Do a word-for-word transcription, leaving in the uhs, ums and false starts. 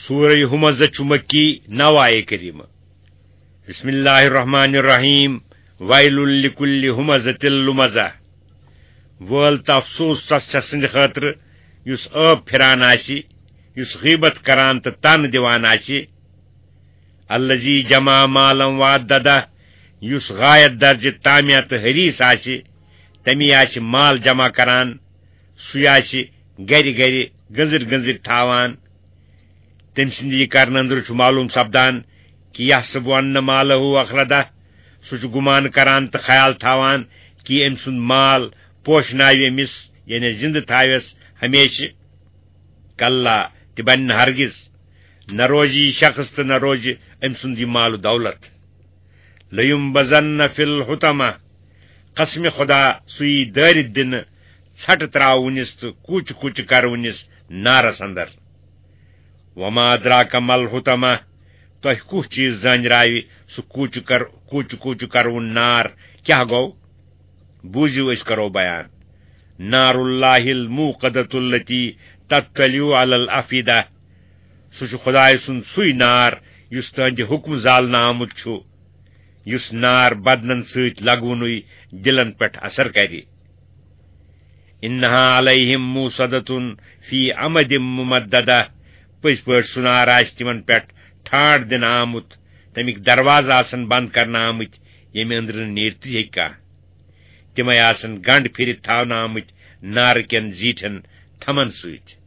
سورہ ہمزہ چھُ مکی، نو آیے کریمہ۔ بسم اللہ الرحمن الرحیم۔ ویل لکل ہمزۃ لمزہ۔ وٲل تہٕ افسوس تس شخص سٕنٛدِ خٲطرٕ یُس عٲب پھران آسہِ، یُس غیبت کران تہٕ طعنہٕ دِوان آسہِ۔ الذی جمع مالا وعددہ، یُس غایت درجہ طامع تہٕ حریص آسہِ، تمی آسہِ مال جمع کران، سُے آسہِ گرِ گرِ گٔنزٕر گٔنزٕر تھاوان۔ تٔمۍ سٕنٛدِ یہِ کرنہٕ أنٛدرٕ چھُ معلوم سپدان کہِ یحسب ان مالہ اخلدہ، سُہ چھُ گُمان کران تہٕ خیال تھاوان کہِ أمۍ سُنٛد مال پوشناوِ أمِس، یعنی زِنٛدٕ تھاوٮ۪س ہمیشہِ۔ کلا، تہِ بنہِ نہٕ ہرگز، نہ روزِ یہِ شخص تہٕ نہ روزِ أمۍ سُنٛد یہِ مال و دولت۔ لینبذن فی الحطمہ، قسم خدا، سُہ یی دٲرِتھ دِنہٕ، ژھٹہٕ تراونس تہٕ کوچہِ کوچہِ کرونس نارس اندر۔ وما ادراک ما الحطمہ، تۄہہِ کُس چیز زٲنراوِ سُہ کوچہِ کر-، کوچہِ کوچہِ کرون نار کیاہ گوٚو؟ بوٗزِو، أسۍ کرو بیان۔ نار اللہ الموقدۃ التی تطلع علی الافئدہ۔ سُہ چھُ خدایہِ سُنٛد سُے نار یُس تُہنٛدِ حُکمہٕ زالنہٕ آمُت چھُ، یُس نار بدنن سۭتۍ لگوُنُے دِلن پٮ۪ٹھ اثر کرِ۔ انہا علیہم موصدۃ فی عمد ممددہ۔ پٔزۍ پٲٹھۍ سُہ نار آسہِ تِمن پٮ۪ٹھ ٹھانڈ دِنہٕ آمُت، تمیِکۍ دروازٕ آسن بند کرنہٕ آمٕتۍ، ییٚمہِ أنٛدرٕ نہٕ نیٖرتھٕے ہیٚکہِ کانٛہہ۔ تِمے آسن گنڈ پھِرِتھ تھاونہٕ آمٕتۍ نارٕ کٮ۪ن زیٖٹھٮ۪ن تھمن سۭتۍ۔